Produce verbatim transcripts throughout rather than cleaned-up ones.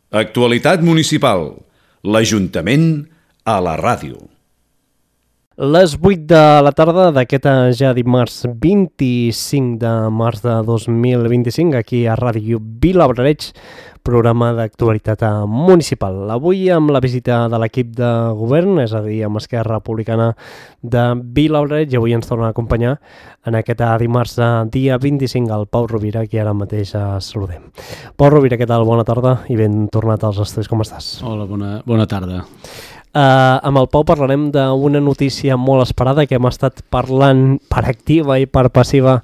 Actualitat municipal. L'Ajuntament a la ràdio. Les vuit de la tarda d'aquest ja dimarts vint-i-cinc de març de dos mil vint-i-cinc, aquí a Ràdio Vilablareix, programa d'actualitat municipal. Avui amb la visita de l'equip de govern, és a dir, amb Esquerra Republicana de Vilablareix, i avui ens torna a acompanyar en aquest dimarts dia vint-i-cinc el Pau Rovira, qui ara mateix saludem. Pau Rovira, què tal? Bona tarda i ben tornat als estudis, com estàs? Hola, bona, bona tarda. Uh, amb el Pau parlarem d'una notícia molt esperada que hem estat parlant per activa i per passiva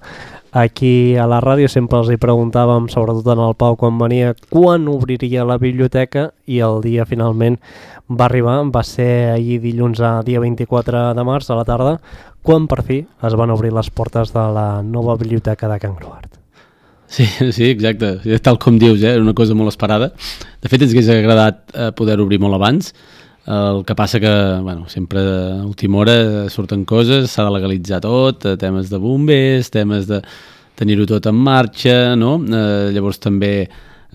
aquí a la ràdio. Sempre els hi preguntàvem, sobretot en el Pau quan venia, quan obriria la biblioteca, i el dia finalment va arribar. Va ser ahir dilluns, a dia vint-i-quatre de març a la tarda, quan per fi es van obrir les portes de la nova biblioteca de Can Croart. Sí, sí, exacte, tal com dius, eh? Era una cosa molt esperada. De fet, ens hagués agradat eh, poder obrir molt abans. El que passa que, bueno, sempre a última hora surten coses, s'ha de legalitzar tot, temes de bombers, temes de tenir-ho tot en marxa, no? Eh, llavors també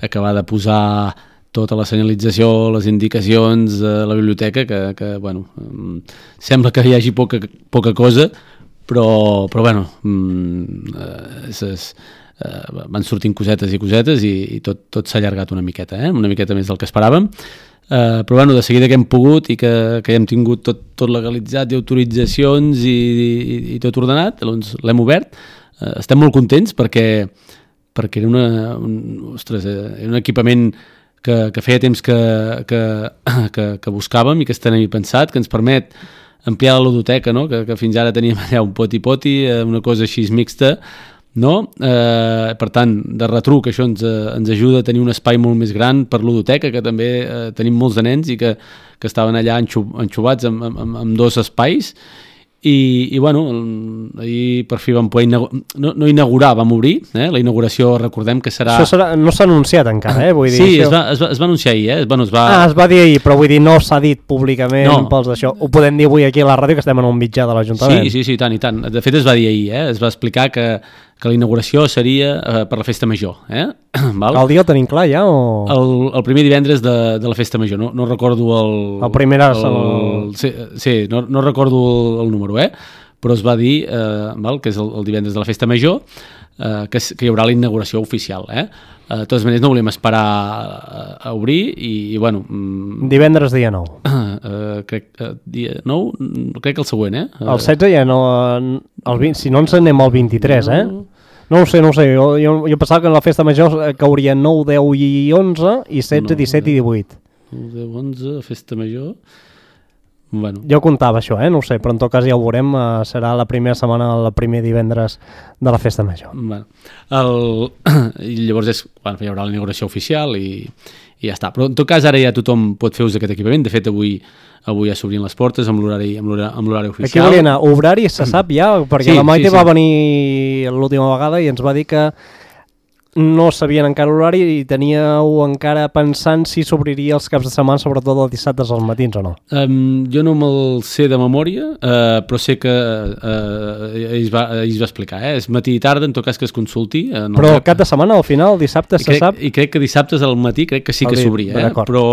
acabar de posar tota la senyalització, les indicacions de la biblioteca, que, que bueno, sembla que hi hagi poca, poca cosa, però, però bueno, és, és, eh, van sortint cosetes i cosetes i, i tot, tot s'ha allargat una miqueta, eh? Una miqueta més del que esperàvem. Uh, però bueno, de seguida que hem pogut i que, que hem tingut tot, tot legalitzat i autoritzacions i, i, i tot ordenat, doncs l'hem obert. Uh, estem molt contents perquè, perquè era, una, un, ostres, era un equipament que, que feia temps que, que, que, que buscàvem i que teníem pensat, que ens permet ampliar la ludoteca, no? que, que fins ara teníem allà un poti-poti, una cosa així mixta, no? Eh, per tant, de retruc això ens, eh, ens ajuda a tenir un espai molt més gran per ludoteca, que també eh, tenim molts de nens i que, que estaven allà enxubats amb, amb, amb dos espais i, i bueno, ahir per fi vam poder inaugurar, no, no inaugurar, vam obrir, eh? La inauguració recordem que serà... Això serà, no s'ha anunciat encara, eh? Vull dir, sí, això... es, va, es, va, es va anunciar ahir, eh? Bueno, es va... Ah, es va dir ahir, però vull dir, no s'ha dit públicament no. Pels d'això. Ho podem dir avui aquí a la ràdio, que estem en un mitjà de l'Ajuntament. Sí, sí, sí, tant i tant. De fet es va dir ahir, eh? Es va explicar que que la inauguració seria eh, per la festa major. Eh? Val? El dia ho tenim clar ja? O... El, el primer divendres de, de la festa major, no, no recordo el... El primer és el... el... Sí, sí no, no recordo el, el número, eh? Però es va dir eh, val, que és el, el divendres de la festa major, eh, que, que hi haurà la inauguració oficial. Eh? Eh, de totes maneres no volem esperar a, a obrir i, i bueno... Mm, divendres dia nou. Eh, crec que dia nou, crec que el següent, eh? El setze ja no... El vint, si no ens anem al vint-i-tres, eh? No ho sé, no ho sé. Jo, jo, jo pensava que en la festa major cauria nou, deu i onze, i setze, disset i divuit. nou, deu, onze, festa major... Bueno. Jo comptava això, eh? No ho sé, però en tot cas ja ho veurem. Uh, serà la primera setmana, el primer divendres de la festa major. Bueno, el... I llavors és, bueno, hi haurà la inauguració oficial i, i ja està. Però en tot cas ara ja tothom pot fer ús d'aquest equipament. De fet, avui avui ja s'obrien les portes amb l'horari amb l'horari oficial. Aquí volia anar, horari se sap ja, perquè sí, la Maite sí, sí. va venir l'última vegada i ens va dir que no sabien encara l'horari i teníeu encara pensant si s'obriria els caps de setmana, sobretot els dissabtes als matins o no. Um, jo no me'l sé de memòria, uh, però sé que uh, ell, va, ell va explicar, eh? És matí i tarda, en tot cas que es consulti. Uh, no però el cap de setmana, al final, el dissabte, I se crec, sap? I crec que dissabtes al matí crec que sí que s'obria, eh? però,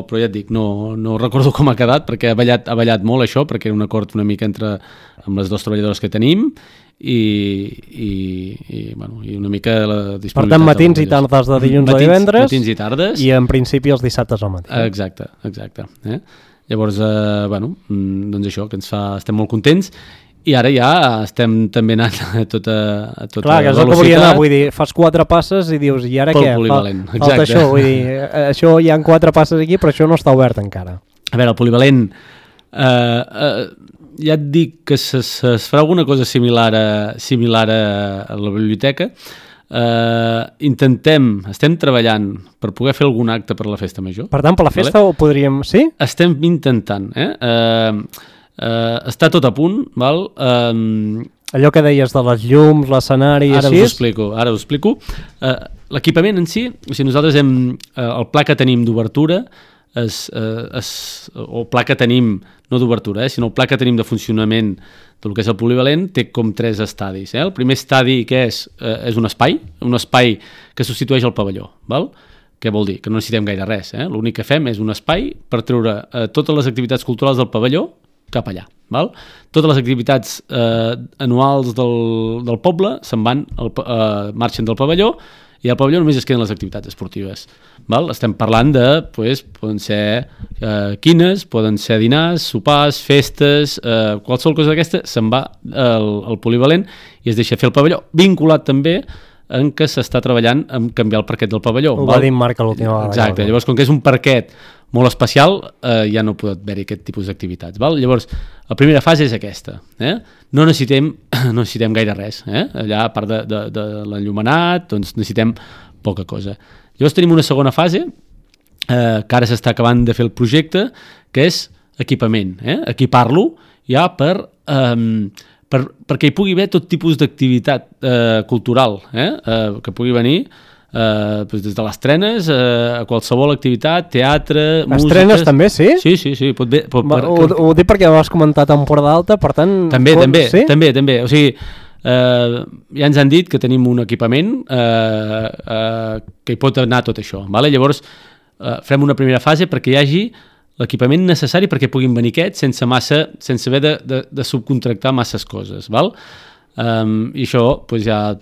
però ja et dic, no, no recordo com ha quedat, perquè ha ballat, ha ballat molt això, perquè era un acord una mica entre amb les dues treballadores que tenim, i, i, i, bueno, i una mica la disponibilitat. Per tant, matins i tardes de dilluns matins, a divendres matins i tardes i en principi els dissabtes al matí. Exacte, exacte. Eh? Llavors, eh, bueno, doncs això, que ens fa, estem molt contents i ara ja estem també anant a tota, a tota Clar, que és el que volia anar, vull dir, fas quatre passes i dius, i ara pel què? Polivalent, Fal, falta això, vull dir, això hi ha quatre passes aquí, però això no està obert encara. A veure, el polivalent... Eh, eh, ja et dic que es, es farà alguna cosa similar a, similar a, a la biblioteca. Uh, intentem, estem treballant per poder fer algun acte per la festa major. Per tant, per la festa vale? Ho podríem... Sí? Estem intentant. Eh? Uh, uh, està tot a punt, val? Uh, Allò que deies de les llums, l'escenari i ara així... Us ho explico, ara us explico. Uh, l'equipament en si, o sigui, nosaltres hem... Uh, el pla que tenim d'obertura es, uh, es, o pla que tenim no d'obertura, eh, sinó el pla que tenim de funcionament del que és el polivalent té com tres estadis. Eh? El primer estadi que és, eh, és un espai, un espai que substitueix el pavelló. Val? Què vol dir? Que no necessitem gaire res. Eh? L'únic que fem és un espai per treure eh, totes les activitats culturals del pavelló cap allà. Val? Totes les activitats eh, anuals del, del poble se'n van, al, eh, marxen del pavelló i al pavelló només es queden les activitats esportives. Val? Estem parlant de, pues, poden ser eh, quines, poden ser dinars, sopars, festes, eh, qualsevol cosa d'aquesta se'n va al, al polivalent i es deixa fer el pavelló, vinculat també en què s'està treballant en canviar el parquet del pavelló. Ho val? va dir en Marc a l'última vegada. Exacte, llavors com que és un parquet molt especial, eh, ja no pot haver-hi aquest tipus d'activitats. Val? Llavors, la primera fase és aquesta. Eh? No necessitem, no necessitem gaire res. Eh? Allà, a part de, de, de l'enllumenat, doncs necessitem poca cosa. Llavors tenim una segona fase, eh, que ara s'està acabant de fer el projecte, que és equipament. Eh? Equipar-lo ja per... Eh, Per, perquè hi pugui haver tot tipus d'activitat eh, cultural, eh? Eh, que pugui venir eh, doncs des de les trenes eh, a qualsevol activitat, teatre, músiques... Estrenes també, sí? Sí, sí, sí. Pot bé, pot, Va, per, ho, ho dic perquè ho has comentat a Empordà Alta, per tant... també, pot, també, sí? també, també. O sigui, eh, ja ens han dit que tenim un equipament eh, eh, que hi pot anar tot això. Vale? Llavors, eh, farem una primera fase perquè hi hagi l'equipament necessari perquè puguin venir aquests sense massa, sense haver de, de, de subcontractar masses coses, val? Um, i això pues, ja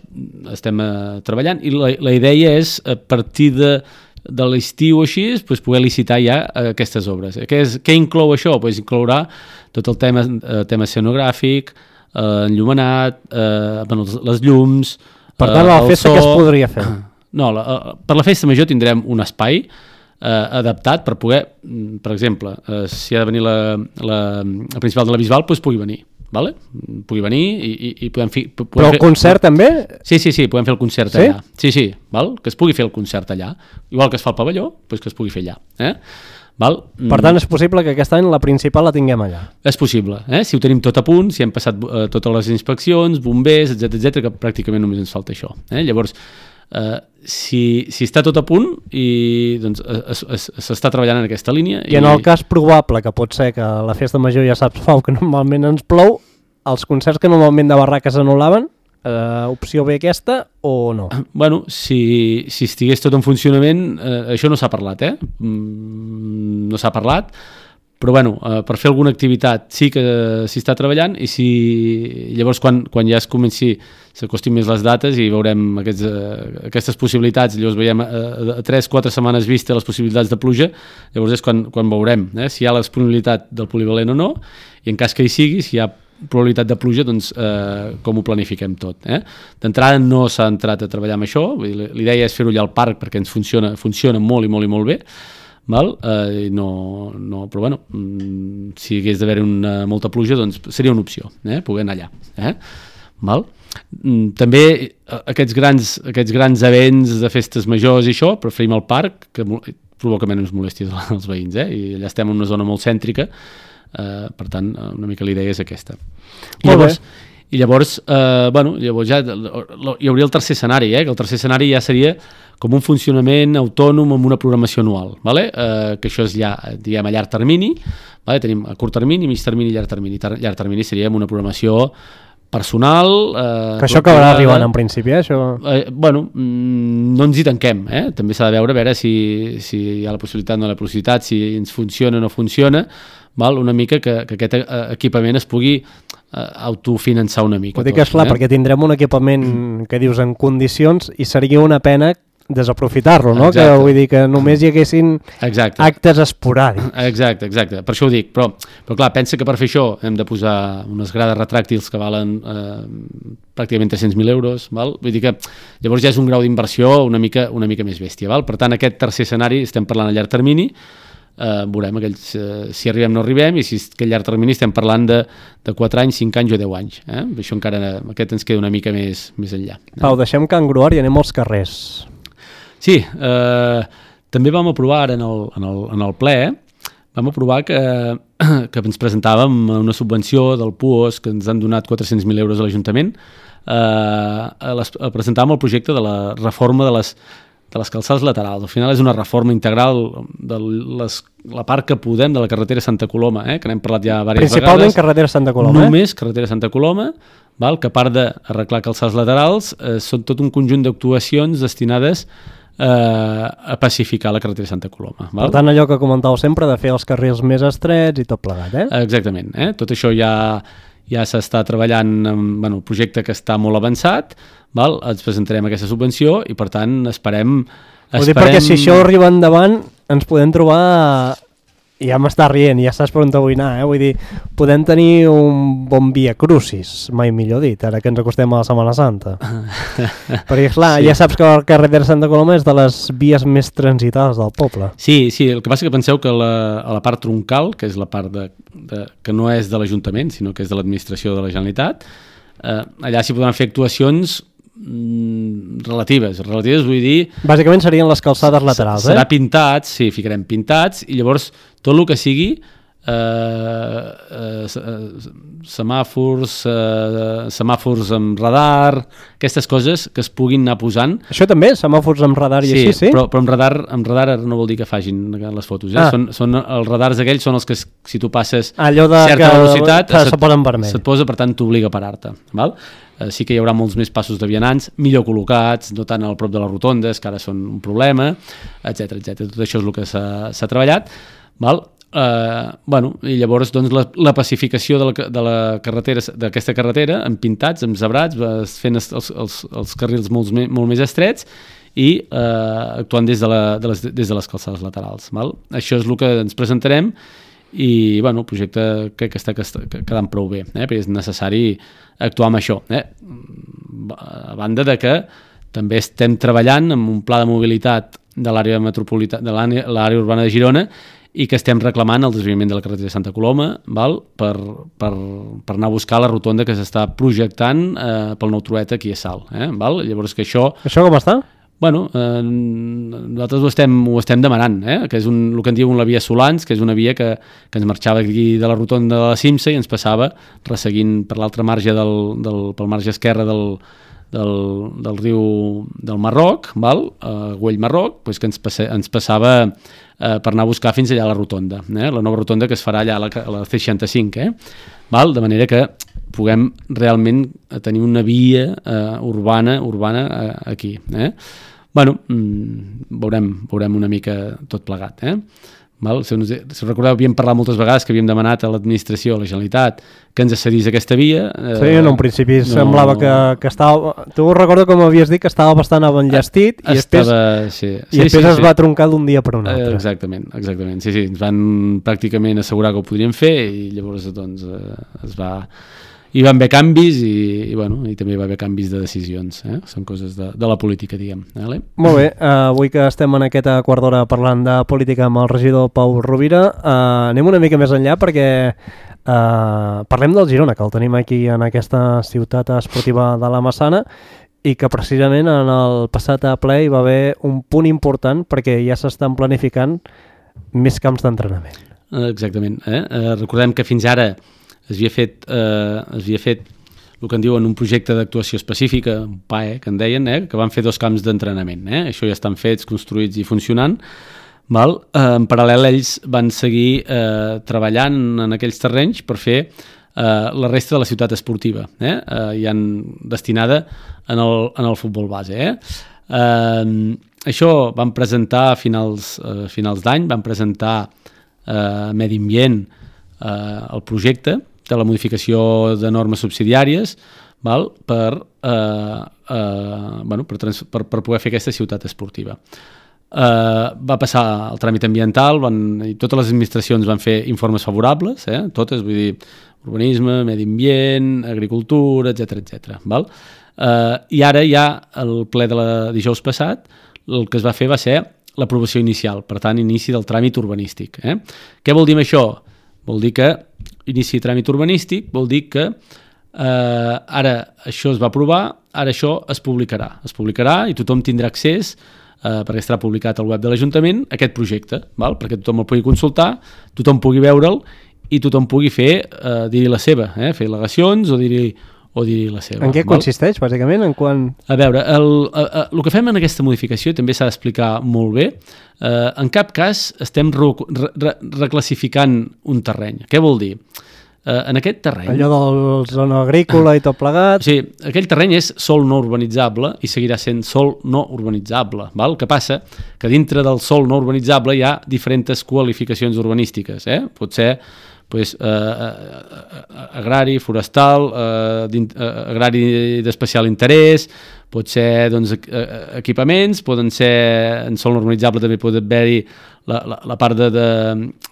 estem uh, treballant i la, la idea és a partir de, de l'estiu o així pues, poder licitar ja uh, aquestes obres. Què, és, què inclou això? Pues, inclourà tot el tema, uh, tema escenogràfic, uh, enllumenat, uh, bueno, les, les llums, per tant, a la festa so... què es podria fer? No, la, uh, per la festa major tindrem un espai Eh, adaptat per poder, per exemple, eh, si ha de venir la, la, la principal de la Bisbal, doncs pugui venir, vale? Pugui venir i, i, i podem fer... Podem Però el fer, concert també? Sí, sí, sí, podem fer el concert sí? allà. Sí, sí, val? Que es pugui fer el concert allà. Igual que es fa al pavelló, doncs que es pugui fer allà. Eh? Val? Per tant, és possible que aquest any la principal la tinguem allà. És possible, eh? Si ho tenim tot a punt, si hem passat eh, totes les inspeccions, bombers, etcètera, etcètera, que pràcticament només ens falta això. Eh? Llavors, Uh, si, si està tot a punt i doncs s'està treballant en aquesta línia i, i en el cas probable que pot ser que la festa major ja saps Pau que normalment ens plou, els concerts que normalment de barraca s'anul·laven, uh, opció B aquesta o no? Bueno, si, si estigués tot en funcionament, uh, això no s'ha parlat, eh? Mm, no s'ha parlat, però bueno, eh, per fer alguna activitat sí que s'hi està treballant i si llavors quan, quan ja es comenci s'acostin més les dates i veurem aquests, eh, aquestes possibilitats, llavors veiem a tres quatre setmanes vista les possibilitats de pluja, llavors és quan, quan veurem eh, si hi ha la disponibilitat del polivalent o no, i en cas que hi sigui, si hi ha probabilitat de pluja, doncs eh, com ho planifiquem tot. Eh? D'entrada no s'ha entrat a treballar amb això, l'idea és fer-ho allà al parc perquè ens funciona, funciona molt i molt i molt bé, val? Eh, no, no, però bueno, mm, si hagués d'haver una molta pluja, doncs seria una opció, eh? Poder anar allà. Eh? Val? Mm, també aquests grans, aquests grans events de festes majors i això, preferim el parc, que provoca menys molèsties als veïns, eh? I allà estem en una zona molt cèntrica, eh, per tant, una mica l'idea és aquesta. I llavors, i llavors, eh, bueno, llavors ja hi hauria el tercer escenari, eh? Que el tercer escenari ja seria com un funcionament autònom amb una programació anual, vale? eh, que això és ja, diguem, a llarg termini, vale? Tenim a curt termini, mig termini i llarg termini. Tar llarg termini seria amb una programació personal... Eh, que això acabarà arribant en principi, eh? Això... Eh, bueno, mm, no ens hi tanquem, eh? També s'ha de veure, a veure si, si hi ha la possibilitat o no la possibilitat, si ens funciona o no funciona, val? Una mica que, que aquest equipament es pugui eh, autofinançar una mica. Ho dic, tot, esclar, eh? Perquè tindrem un equipament mm. que dius en condicions i seria una pena desaprofitar-lo, no? Exacte. Que vull dir que només hi haguessin exacte. Actes esporàdics. Exacte, exacte, per això ho dic, però, però clar, pensa que per fer això hem de posar unes grades retràctils que valen eh, pràcticament tres-cents mil euros, val? Vull dir que llavors ja és un grau d'inversió una mica, una mica més bèstia, val? Per tant, aquest tercer escenari estem parlant a llarg termini, eh, veurem aquells, eh, si arribem o no arribem, i si aquest llarg termini estem parlant de, de quatre anys, cinc anys o deu anys, eh? Això encara, aquest ens queda una mica més, més enllà. Eh? Pau, deixem Can Gruar i anem als carrers. Sí, eh, també vam aprovar ara en el, en el, en el ple, eh, vam aprovar que, que ens presentàvem una subvenció del P U O S que ens han donat quatre-cents mil euros a l'Ajuntament, eh, a, les, a presentar el projecte de la reforma de les, de les calçades laterals. Al final és una reforma integral de les, la part que podem de la carretera Santa Coloma, eh, que n'hem parlat ja diverses vegades. Principalment carretera Santa Coloma. Només eh? carretera Santa Coloma, val? Que a part d'arreglar calçades laterals, eh, són tot un conjunt d'actuacions destinades eh, a pacificar la carretera de Santa Coloma. Val? Per tant, allò que comentàveu sempre de fer els carrils més estrets i tot plegat, eh? Exactament. Eh? Tot això ja, ja s'està treballant en bueno, un projecte que està molt avançat, val? Ens presentarem aquesta subvenció i, per tant, esperem... Ho dic perquè si això arriba endavant ens podem trobar... Ja m'està rient, ja saps per on vull anar, eh? Vull dir, podem tenir un bon via crucis, mai millor dit, ara que ens acostem a la Setmana Santa. Perquè, clar, sí. Ja saps que el carrer de Santa Coloma és de les vies més transitades del poble. Sí, sí, el que passa que penseu que la, a la part troncal, que és la part de, de, que no és de l'Ajuntament, sinó que és de l'administració de la Generalitat, eh, allà s'hi podran fer actuacions relatives, relatives vull dir... Bàsicament serien les calçades laterals, serà eh? pintats, sí, ficarem pintats, i llavors tot el que sigui eh, eh, semàfors, eh, semàfors amb radar, aquestes coses que es puguin anar posant. Això també, semàfors amb radar i sí, així, sí? Però, però amb radar, amb radar no vol dir que facin les fotos, eh? Ah. Són, són, els radars aquells són els que si tu passes allò de certa que velocitat se, se't, se posa en vermell. Se't posa, per tant t'obliga a parar-te, val? Eh, sí que hi haurà molts més passos de vianants, millor col·locats, no tant al prop de les rotondes, que ara són un problema, etcètera, etcètera. Tot això és el que s'ha treballat, val? Eh, bueno, i llavors doncs, la, la pacificació de la, de la carretera, d'aquesta carretera, amb pintats, amb zebrats, fent els, els, els carrils molt, molt més estrets i eh, actuant des de, la, de les, des de les calçades laterals. Val? Això és el que ens presentarem i bueno, el projecte crec que està quedant prou bé, eh? Perquè és necessari actuar amb això. Eh? A banda de que també estem treballant amb un pla de mobilitat de l'àrea metropolitana, de l'àrea urbana de Girona, i que estem reclamant el desviament de la carretera de Santa Coloma, val? Per, per, per anar a buscar la rotonda que s'està projectant eh, pel nou Trueta aquí a Salt. Eh? Val? Llavors que això... Això com està? Bueno, eh, nosaltres ho estem, ho estem demanant, eh? Que és un, el que en diuen la via Solans, que és una via que, que ens marxava aquí de la rotonda de la Cimsa i ens passava resseguint per l'altre marge del, del, pel marge esquerre del, del, del riu del Marroc, val? Uh, Güell Marroc, pues que ens, passe, ens passava eh, per anar a buscar fins allà a la rotonda, eh? La nova rotonda que es farà allà a la, a la C seixanta-cinc, eh? Val? De manera que puguem realment tenir una via eh, urbana urbana eh, aquí. Eh? Bueno, mmm, veurem, veurem una mica tot plegat. Eh? Val? Si, si recordeu, havíem parlat moltes vegades que havíem demanat a l'administració, a la Generalitat, que ens cedís aquesta via. Eh, sí, en un principi no... semblava que, que estava... Tu recordo com havies dit que estava bastant enllestit i estava, després, sí. i Sí, després sí, es sí. va troncar d'un dia per un altre. Eh, exactament, exactament. Sí, sí, ens van pràcticament assegurar que ho podríem fer i llavors doncs, eh, es va... Hi van haver canvis i, i, bueno, i també hi va haver canvis de decisions. Eh? Són coses de, de la política, diguem. Vale? Molt bé, uh, avui que estem en aquesta quart d'hora parlant de política amb el regidor Pau Rovira, uh, anem una mica més enllà perquè uh, parlem del Girona, que el tenim aquí en aquesta ciutat esportiva de la Massana i que precisament en el passat ple hi va haver un punt important perquè ja s'estan planificant més camps d'entrenament. Exactament. Eh? Uh, recordem que fins ara es havia fet, eh, es havia fet el que en diuen un projecte d'actuació específica, un P A E, que en deien, eh, que van fer dos camps d'entrenament. Eh? Això ja estan fets, construïts i funcionant. Val? Eh, en paral·lel, ells van seguir eh, treballant en aquells terrenys per fer eh, la resta de la ciutat esportiva, eh? Eh, i han destinada en el, en el futbol base. Eh? Eh, això van presentar a finals, eh, finals d'any, van presentar a eh, Medi Ambient eh, el projecte de la modificació de normes subsidiàries, val? Per, eh, eh, bueno, per, trans, per, per poder fer aquesta ciutat esportiva. Eh, va passar el tràmit ambiental, van, i totes les administracions van fer informes favorables, eh? Totes, vull dir, urbanisme, medi ambient, agricultura, etcètera, etcètera. Val? Eh, I ara ja, el ple de la dijous passat, el que es va fer va ser l'aprovació inicial, per tant, inici del tràmit urbanístic. Eh? Què vol dir això? Vol dir que inici tràmit urbanístic, vol dir que eh, ara això es va aprovar, ara això es publicarà. Es publicarà i tothom tindrà accés, eh, perquè estarà publicat al web de l'Ajuntament, a aquest projecte, val? Perquè tothom el pugui consultar, tothom pugui veure'l i tothom pugui fer, eh, dir-hi la seva, eh? Fer al·legacions o dir-hi o dir la seva. En què val? consisteix, bàsicament? En quan... A veure, el, el, el que fem en aquesta modificació també s'ha d'explicar molt bé. Eh, en cap cas estem re, re, reclassificant un terreny. Què vol dir? eh, en aquest terreny... Allò del zona agrícola i tot plegat... Sí, aquell terreny és sòl no urbanitzable i seguirà sent sòl no urbanitzable. Val? El que passa que dintre del sòl no urbanitzable hi ha diferents qualificacions urbanístiques. Eh? Pot ser pues, eh, agrari, forestal, eh, agrari d'especial interès, pot ser doncs, equipaments, poden ser en sòl urbanitzable també pot haver-hi la, la, la part de, de,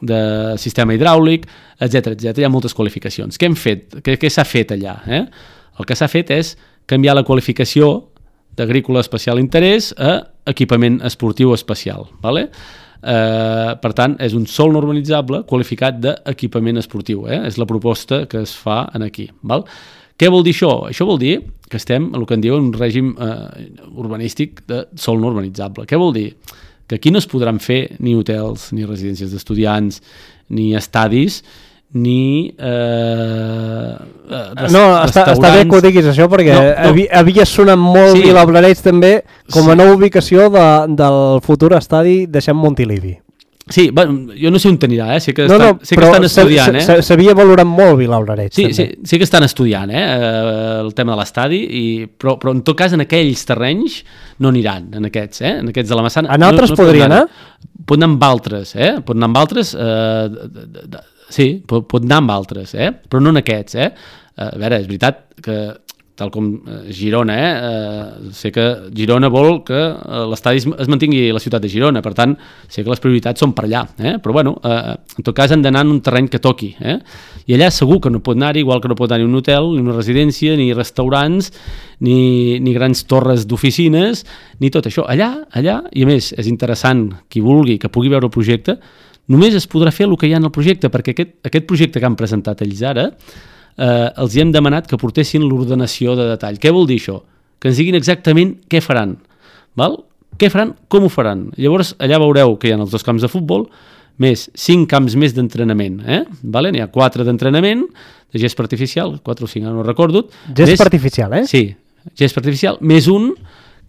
de sistema hidràulic, etcètera etcètera. Hi ha moltes qualificacions. Què hem fet? Què, què s'ha fet allà? Eh? El que s'ha fet és canviar la qualificació d'agrícola especial interès a equipament esportiu especial. Vale? Eh, per tant, és un sòl no urbanitzable qualificat d'equipament esportiu. Eh? És la proposta que es fa en aquí. Val? Què vol dir això? Això vol dir que estem en el que en diuen un règim eh, urbanístic de sòl no urbanitzable. Què vol dir? Que aquí no es podran fer ni hotels, ni residències d'estudiants, ni estadis, ni eh, res, no, està, està bé que ho diguis això, perquè no, no. Havia, havia sonat molt sí. Vilablareix també com a sí. Nova ubicació de, del futur estadi deixant Montilivi. Sí, bueno, jo no sé on t'anirà, eh? Sé que, no, estan, no, sé que estan estudiant, eh? S'havia valorat molt Vilablareix, sí, també. Sí, sí que estan estudiant, eh? El tema de l'estadi, i... però, però en tot cas en aquells terrenys no aniran, en aquests, eh? En aquests de la Massana. En altres no, no podria anar? Pot anar amb altres, eh? Pot anar amb altres, eh, de, de, de, sí, pot, pot anar amb altres, eh? Però no en aquests, eh? A veure, és veritat que tal com Girona, eh? eh? sé que Girona vol que l'estadi es mantingui a la ciutat de Girona, per tant, sé que les prioritats són per allà, eh? Però bueno, eh, en tot cas han d'anar en un terreny que toqui, eh? I allà segur que no pot anar-hi, igual que no pot anar-hi un hotel, ni una residència, ni restaurants, ni, ni grans torres d'oficines, ni tot això. Allà, allà, i a més, és interessant, qui vulgui, que pugui veure el projecte, només es podrà fer el que hi ha en el projecte, perquè aquest, aquest projecte que han presentat ells ara, Eh, els hi hem demanat que portessin l'ordenació de detall. Què vol dir això? Que ens diguin exactament què faran. Val? Què faran? Com ho faran? Llavors, allà veureu que hi ha els dos camps de futbol, més cinc camps més d'entrenament. Eh? Vale? N'hi ha quatre d'entrenament, de gespa artificial, quatre o cinc, no recordo. Gespa artificial, eh? Sí, gespa artificial, més un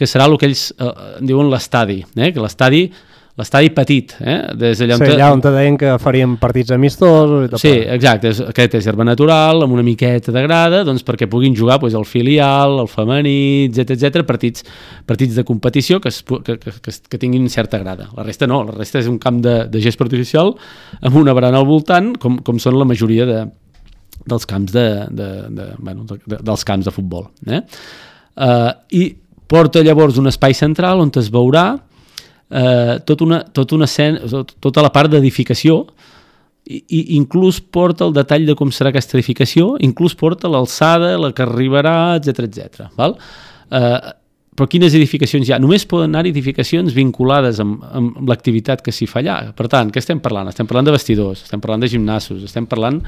que serà el que ells eh, diuen l'estadi, eh? Que l'estadi l'estadi petit, eh? Des d'allà on, sí, allà on te deien que farien partits amistosos i tot. Sí, exacte, és, aquest és herba natural, amb una miqueta de grada, doncs perquè puguin jugar doncs, el filial, el femení, etcètera etcètera, partits, partits de competició que, es, que, que, que tinguin certa grada. La resta no, la resta és un camp de, de gespa artificial amb una barana al voltant, com, com són la majoria de, dels camps de, de, de, bueno, de, de, dels camps de futbol. Eh? Uh, I porta llavors un espai central on es veurà Uh, tota una, tot una escena, tot, tota la part d'edificació i, i inclús porta el detall de com serà aquesta edificació, inclús porta l'alçada, la que arribarà, etcètera etcètera. Val? Uh, però quines edificacions hi ha? Només poden anar edificacions vinculades amb, amb l'activitat que s'hi fa allà. Per tant, què estem parlant? Estem parlant de vestidors, estem parlant de gimnasos, estem parlant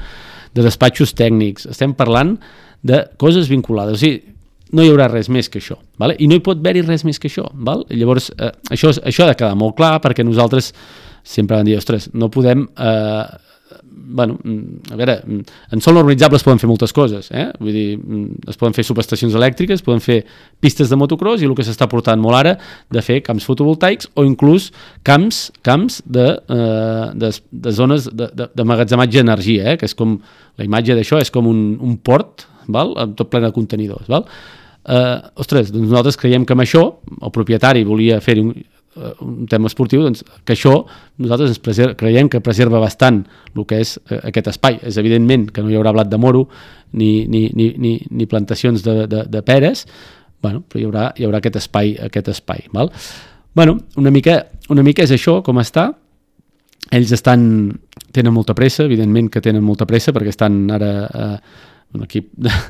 de despatxos tècnics, estem parlant de coses vinculades. O sigui, no hi haurà res més que això, vale? I no hi pot haver-hi res més que això, val? Llavors eh, això, això ha de quedar molt clar, perquè nosaltres sempre vam dir, ostres, no podem eh, bueno, a veure, en sòl urbanitzable es poden fer moltes coses, eh? Vull dir, es poden fer subestacions elèctriques, poden fer pistes de motocross i el que s'està portant molt ara de fer camps fotovoltaics o inclús camps camps de, eh, de, de zones de, de, de magatzematge d'energia, eh? Que és com, la imatge d'això és com un, un port, val? Amb tot ple de contenidors, val? Uh, ostres, doncs nosaltres creiem que amb això el propietari volia fer un, uh, un tema esportiu, doncs que això nosaltres ens preser, creiem que preserva bastant el que és uh, aquest espai. És evidentment que no hi haurà blat de moro ni, ni, ni, ni, ni plantacions de, de, de peres, bueno, però hi haurà, hi haurà aquest espai, aquest espai, val? Bueno, una mica, una mica és això com està. Ells estan, tenen molta pressa, evidentment que tenen molta pressa perquè estan ara uh, un equip de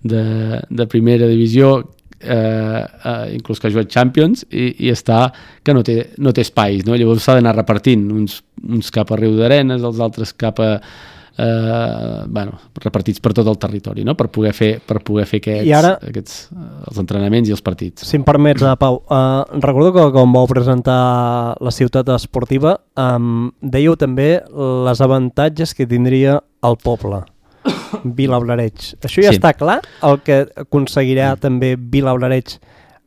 De, de primera divisió, eh, eh, inclús que ha jugat Champions, i, i està que no té, no té espais, no? Llavors s'ha d'anar repartint, uns, uns cap a Riu d'Arenes, els altres cap a eh, bueno, repartits per tot el territori, no? Per poder fer, per poder fer aquests, ara, aquests els entrenaments i els partits. Si em permets, Pau, eh, recordo que quan vau presentar la ciutat esportiva eh, dèieu també les avantatges que tindria el poble. Vilablareix. Això ja sí. Està clar? El que aconseguirà mm. també Vilablareix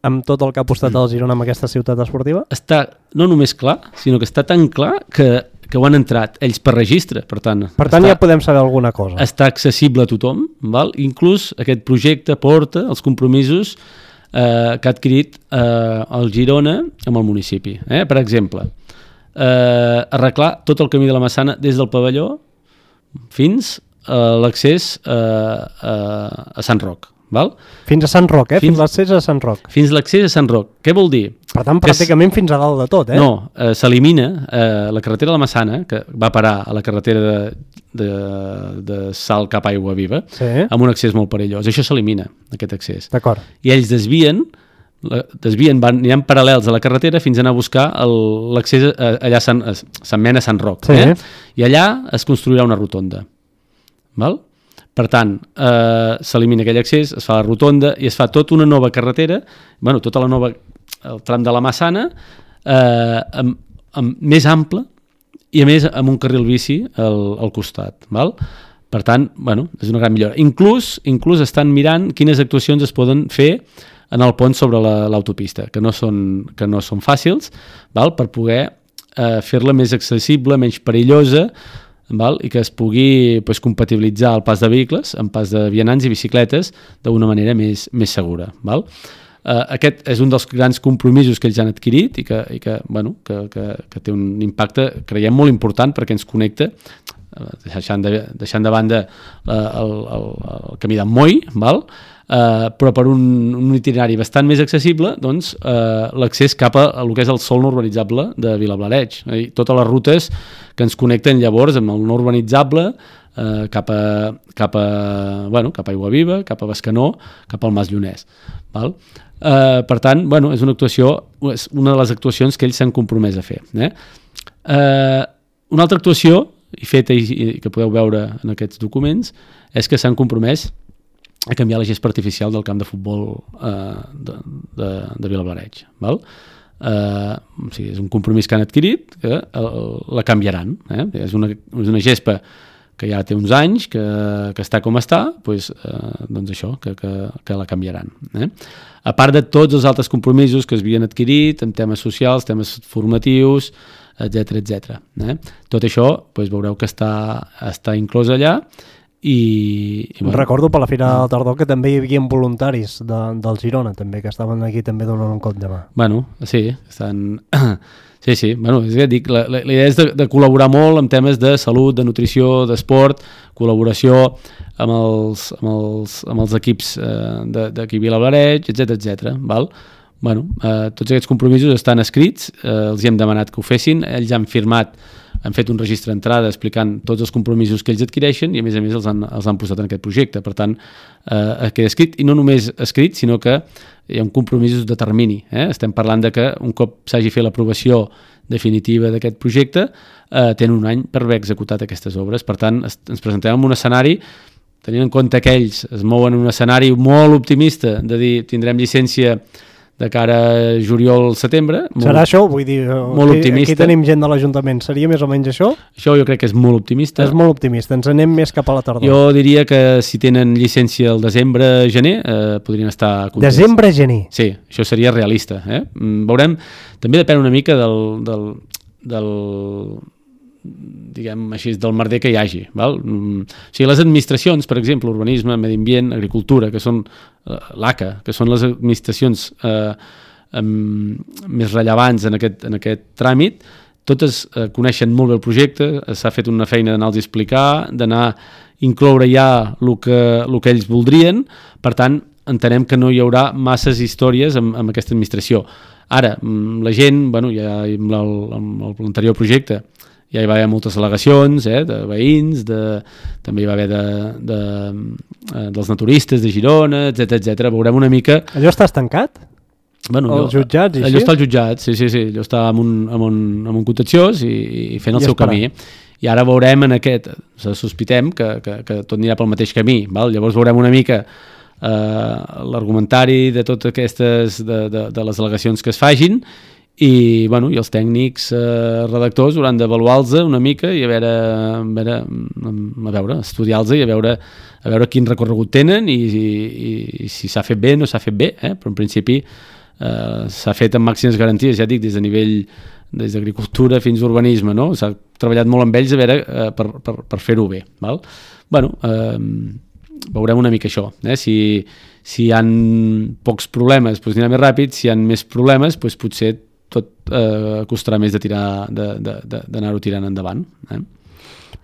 amb tot el que ha apostat el Girona amb aquesta ciutat esportiva? Està no només clar, sinó que està tan clar que, que ho han entrat ells per registre, per tant... Per tant està, ja podem saber alguna cosa. Està accessible a tothom, val? Inclús aquest projecte porta els compromisos eh, que ha adquirit eh, el Girona amb el municipi. Eh? Per exemple, eh, arreglar tot el camí de la Massana des del pavelló fins a l'accés eh, a, a Sant Roc. Val? Fins a Sant Roc, eh? Fins, fins l'accés a Sant Roc. Fins l'accés a Sant Roc. Què vol dir? Per tant, pràcticament fins a dalt de tot, eh? No, eh, s'elimina eh, la carretera de la Massana, que va parar a la carretera de, de, de Salt cap a Aigua Viva, sí. amb un accés molt perillós. Això s'elimina, aquest accés. D'acord. I ells desvien, desvien van, aniran paral·lels a la carretera fins a anar a buscar l'accés allà a Sant, a Sant Mena, Sant Roc. Sí. Eh? I allà es construirà una rotonda. Val? Per tant, eh, s'elimina aquell accés, es fa la rotonda i es fa tota una nova carretera, bueno, tota la nova, el tram de la Massana, eh, amb, amb, més ample i a més amb un carril bici al, al costat. Val? Per tant, bueno, és una gran millora. Inclús, inclús estan mirant quines actuacions es poden fer en el pont sobre l'autopista, la, que, no són, que no són fàcils, val? Per poder eh, fer-la més accessible, menys perillosa, val? I que es pugui pues, compatibilitzar el pas de vehicles amb pas de vianants i bicicletes d'una manera més, més segura. Val? Uh, aquest és un dels grans compromisos que ells han adquirit i que, i que, bueno, que, que, que té un impacte, creiem, molt important perquè ens connecta, uh, deixant, de, deixant de banda uh, el, el, el camí d'en Moll, val? Uh, però per un, un itinerari bastant més accessible, doncs, uh, l'accés cap a, a el que és el sòl no urbanitzable de Vilablareix. Eh? Totes les rutes que ens connecten llavors amb el no urbanitzable uh, cap, a, cap, a, bueno, cap a Aigua Viva, cap a Bescanó, cap al Mas Llonès. Val? Uh, per tant, bueno, és una actuació, és una de les actuacions que ells s'han compromès a fer. Eh? Uh, una altra actuació, i feta i, i que podeu veure en aquests documents, és que s'han compromès a canviar la gespa artificial del camp de futbol eh, de, de, de Vilablareix. Val? Eh, o sigui, és un compromís que han adquirit, que el, la canviaran. Eh? És, una, és una gespa que ja té uns anys, que, que està com està, doncs, eh, doncs això, que, que, que la canviaran. Eh? A part de tots els altres compromisos que es havien adquirit en temes socials, temes formatius, etcètera, etcètera. Eh? Tot això doncs, veureu que està, està inclòs allà. I, i bueno. Recordo per la Fira del Tardor que també hi havia voluntaris de, del Girona també, que estaven aquí també donant un cop de mà. Bueno, sí, estan... sí, sí, bueno, és que dic, la, la, la idea és de, de col·laborar molt en temes de salut, de nutrició, d'esport, col·laboració amb els, amb els, amb els equips eh, d'aquí Vilablareix, etcètera, etcètera, val? Bueno, eh, tots aquests compromisos estan escrits, eh, els hi hem demanat que ho fessin, ells han firmat, han fet un registre d'entrada explicant tots els compromisos que ells adquireixen i a més a més els han, els han posat en aquest projecte. Per tant, eh, queda escrit, i no només escrit, sinó que hi ha un compromisos de termini. Eh? Estem parlant de que un cop s'hagi fet l'aprovació definitiva d'aquest projecte, eh, tenen un any per haver executat aquestes obres. Per tant, es, ens presentem en un escenari, tenint en compte que ells es mouen en un escenari molt optimista, de dir tindrem llicència de cara a juliol-setembre. Serà això? Vull dir, molt aquí, optimista. Aquí tenim gent de l'Ajuntament. Seria més o menys això? Això jo crec que és molt optimista. És molt optimista. Ens anem més cap a la tardor. Jo diria que si tenen llicència el desembre-gener, eh, podrien estar contents. Desembre-gener? Sí, això seria realista. Eh? Veurem, també depèn una mica del... del, del diguem així, del merder que hi hagi. Val? O sigui, les administracions, per exemple, urbanisme, medi ambient, agricultura, que són eh, l'A C A, que són les administracions eh, amb, més rellevants en aquest, en aquest tràmit, totes eh, coneixen molt bé el projecte, s'ha fet una feina d'anar-los a explicar, d'anar a incloure ja el que, el que ells voldrien, per tant, entenem que no hi haurà masses històries amb, amb aquesta administració. Ara, la gent, bueno, ja amb l'anterior projecte, ja hi va haver moltes al·legacions, eh, de veïns, de, també hi va haver de, de, de, dels naturistes de Girona, etcètera, etcètera. Veurem una mica... Allò està estancat? Bueno, els allò, jutjats i allò així? està al jutjat, sí, sí, sí. Allò està amb un, amb un, amb un contenciós i, i fent el I seu esperant. camí. I ara veurem en aquest, sospitem que, que, que tot anirà pel mateix camí, val? Llavors veurem una mica eh, l'argumentari de totes aquestes, de, de, de les al·legacions que es fagin, i, bueno, i els tècnics eh, redactors hauran d'avaluar-los una mica i a veure, a veure, a veure estudiar-los i a veure, a veure quin recorregut tenen i, i, i si s'ha fet bé o no s'ha fet bé, eh? Però en principi eh, s'ha fet amb màximes garanties, ja dic, des de nivell des d'agricultura fins a urbanisme, no? S'ha treballat molt amb ells a veure eh, per, per, per fer-ho bé, val? Bueno, eh, veurem una mica això, eh? Si, si hi ha pocs problemes, doncs anirà més ràpid, si hi ha més problemes, doncs potser tot eh, costarà més de tirar, de, de, de, d'anar-ho tirant endavant, eh?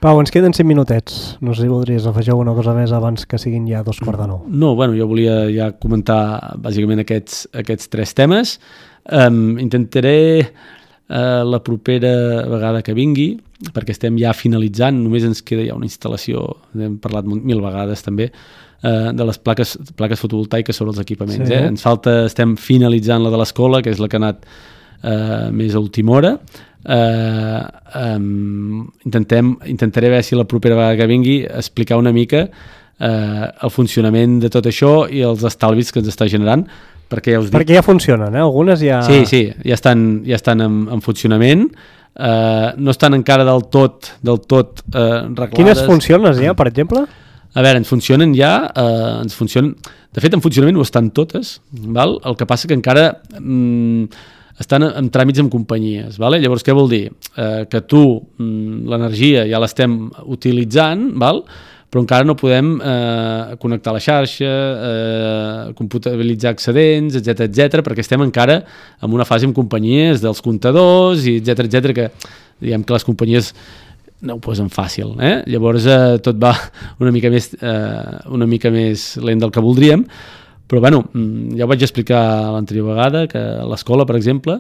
Pau, ens queden cinc minutets. No sé si voldries afegir alguna cosa més abans que siguin ja dos quarts de nou. No, bueno, jo volia ja comentar bàsicament aquests, aquests tres temes. Um, intentaré uh, la propera vegada que vingui, perquè estem ja finalitzant, només ens queda ja una instal·lació, hem parlat mil vegades també, uh, de les plaques, plaques fotovoltaiques sobre els equipaments. Sí. Eh? Ens falta, estem finalitzant la de l'escola, que és la que ha anat uh, més a última hora. Uh, um, intentem, intentaré veure si la propera vegada que vingui explicar una mica uh, el funcionament de tot això i els estalvis que ens està generant, perquè ja us dic... Perquè ja funcionen, eh? Algunes ja... Sí, sí, ja estan, ja estan en, en funcionament, uh, no estan encara del tot, del tot uh, reglades. Quines funcionen ja, per exemple? A veure, ens funcionen ja, uh, ens funcionen... De fet, en funcionament ho estan totes, val? El que passa que encara... Mm, estan en tràmits amb companyies, vale? Llavors què vol dir? Eh, que tu, mm, l'energia ja l'estem utilitzant, val? Però encara no podem eh, connectar a la xarxa, eh, computabilitzar excedents, etcètera, etcètera, perquè estem encara en una fase amb companyies dels comptadors, i etcètera, etcètera, que diguem que les companyies no ho posen fàcil, eh? Llavors eh, tot va una mica més, eh, una mica més lent del que voldríem. Però bueno, ja ho vaig explicar l'anterior vegada, que a l'escola, per exemple,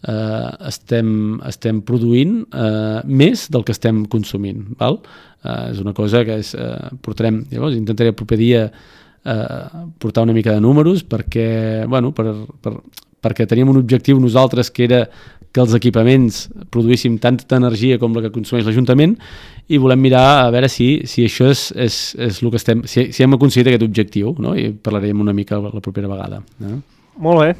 eh, estem, estem produint eh, més del que estem consumint. Val? Eh, és una cosa que és, eh, portarem, llavors intentaré el proper dia eh, portar una mica de números perquè, bueno, per, per, perquè teníem un objectiu nosaltres que era que els equipaments produïssin tanta energia com la que consumeix l'Ajuntament, i volem mirar a veure si, si això és, és, és el que estem, si, si hem aconseguit aquest objectiu, no? I parlarem una mica la propera vegada. Eh? Molt bé.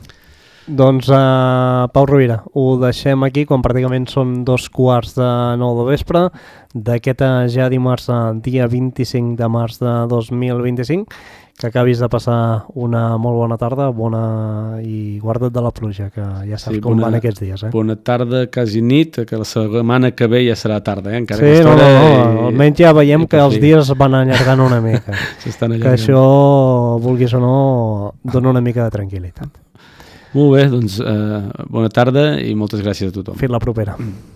Doncs, uh, Pau Rovira, ho deixem aquí quan pràcticament són dos quarts de nou de vespre d'aquest ja dimarts, dia vint-i-cinc de març de dos mil vint-i-cinc. Que acabis de passar una molt bona tarda, bona i guarda't de la pluja, que ja saps sí, com bona, van aquests dies. Eh? Bona tarda, quasi nit, que la setmana que ve ja serà tarda. Eh? Encara sí, no, no, no, i... almenys ja veiem que els dies van allargant una mica. allargant. Que això, vulguis o no, dona una mica de tranquil·litat. Molt bé, doncs eh, bona tarda i moltes gràcies a tothom. Fins la propera. Mm.